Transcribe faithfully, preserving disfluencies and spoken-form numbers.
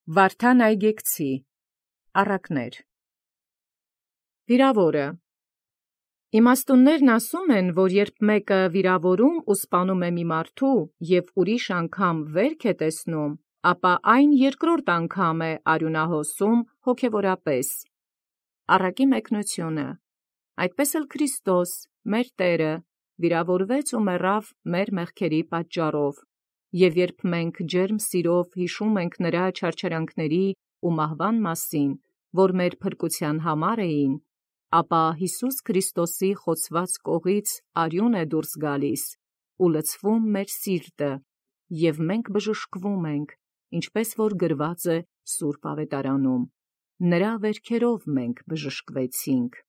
Վարդան Այգեկցի առակներ։ Վիրաւորը իմաստուններն ասում են, որ երբ մեկը վիրավորում ու սպանում է մի մարդու և ուրիշ անգամ վերք է տեսնում, ապա այն երկրորդ անգամ է արյունահոսում հոգևորապես։ Առակի մեկնությունը։ Այդպես էլ Քրիստոս մեր Տէրը վիրավորվեց ու մեռավ մեր մեղքերի պատճառով, և երբ մենք ջերմ սիրով յիշում ենք նրա չարչարանքների ու մահվան մասին, որ մեր փրկութեան համար էին, ապա Յիսուս Քրիստոսի խոցված կողից արյուն է դուրս գալիս ու լցվում մեր սիրտը, և մենք բժշկվում ենք, ինչպես որ գրված է Սուրբ Ավետարանում. նրա վերքերով մենք բժշկվեցինք։